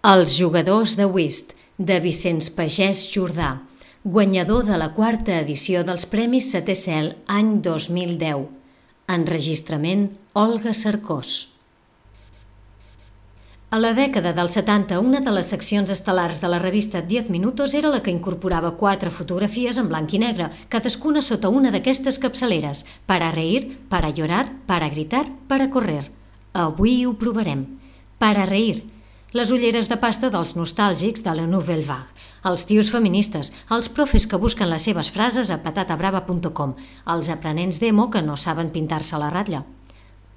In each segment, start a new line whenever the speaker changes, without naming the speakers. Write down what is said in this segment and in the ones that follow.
Els jugadors de whist, de Vicenç Pagès Jordà, guanyador de la quarta edició dels Premis Setè Cel any 2010. Enregistrament Olga Cercós. A la dècada dels 70, una de les seccions estel·lars de la revista 10 Minutos era la que incorporava 4 fotografies en blanc i negre, cadascuna sota una d'aquestes capçaleres: para reír, para llorar, para gritar, para correr. Avui ho provarem. Para reír. Les ulleres de pasta dels nostàlgics de la Nouvelle Vague, els tios feministes, els profes que busquen les seves frases a patatabrava.com, els aprenents d'emo que no saben pintar-se la ratlla.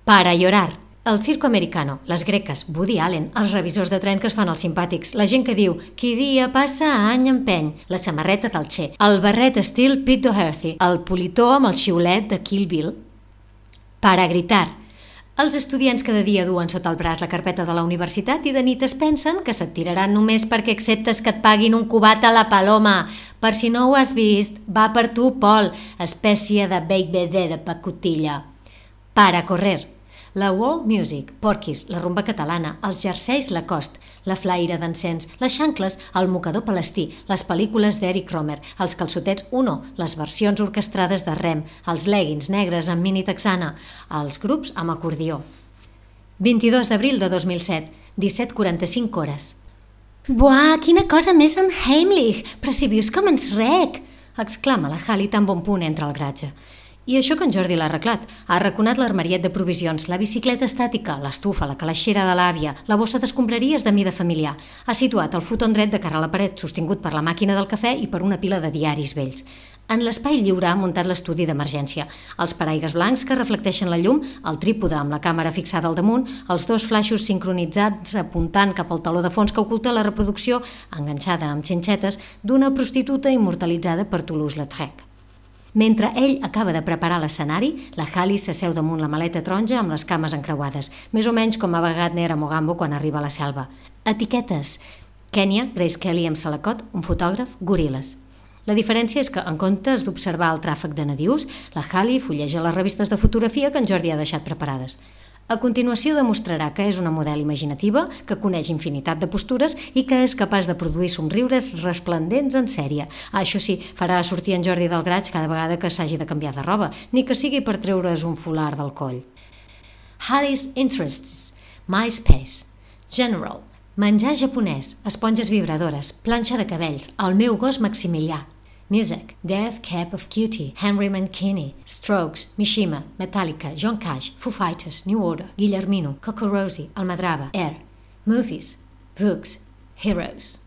Para llorar. El circo americano, les greques, Woody Allen, els revisors de tren que es fan els simpàtics, la gent que diu «qui dia passa, any empeny», la samarreta del Che, el barret estil Pete Doherty, el politó amb el xiulet de Kill Bill. Para gritar. Els estudiants cada dia duen sota el braç la carpeta de la universitat i de nit es pensen que se't tiraran només perquè acceptes que et paguin un cubat a la Paloma. Per si no ho has vist, va per tu, Pol, espècie de BBD de pacotilla. Para correr. La world music, Porquis, la rumba catalana, els jerseis Lacoste, la flaire d'encens, les xancles, el mocador palestí, les pel·lícules d'Eric Romer, els calçotets Uno, les versions orquestrades de Rem, els leggings negres amb mini texana, els grups amb acordió. 22 d'abril de 2007, 17:45 hores.
Buah, quina cosa més enheimlich! Però si vius com ens rec!
Exclama la Hali tan bon punt entra al garatge. I això que en Jordi l'ha arreglat. Ha arraconat l'armariet de provisions, la bicicleta estàtica, l'estufa, la calaixera de l'àvia, la bossa d'escombraries de mida familiar. Ha situat el futon dret de cara a la paret, sostingut per la màquina del cafè i per una pila de diaris vells. En l'espai lliure ha muntat l'estudi d'emergència. Els paraigues blancs que reflecteixen la llum, el trípode amb la càmera fixada al damunt, els 2 flaixos sincronitzats apuntant cap al taló de fons que oculta la reproducció, enganxada amb xinxetes, d'una prostituta immortalitzada per Toulouse-Lautrec. Mentre ell acaba de preparar l'escenari, la Hali s'asseu damunt la maleta taronja amb les cames encreuades, més o menys com a Wagner a Mogambo quan arriba a la selva. Etiquetes. Kenya, Grace Kelly amb Salacot, un fotògraf, goril·les. La diferència és que, en comptes d'observar el tràfic de nadius, la Hali fulleja les revistes de fotografia que en Jordi ha deixat preparades. A continuació demostrarà que és una model imaginativa, que coneix infinitat de postures i que és capaç de produir somriures resplendents en sèrie. Això sí, farà sortir en Jordi del garatge cada vegada que s'hagi de canviar de roba, ni que sigui per treure's un folar del coll.
Hali's Interests, MySpace, General, menjar japonès, esponges vibradores, planxa de cabells, el meu gos Maximilià.
Music, Death Cab of Cutie, Henry Mancini, Strokes, Mishima, Metallica, John Cash, Foo Fighters, New Order, Guillermino, Coco Rosie, Almadrava, Air. Movies, Books, Heroes.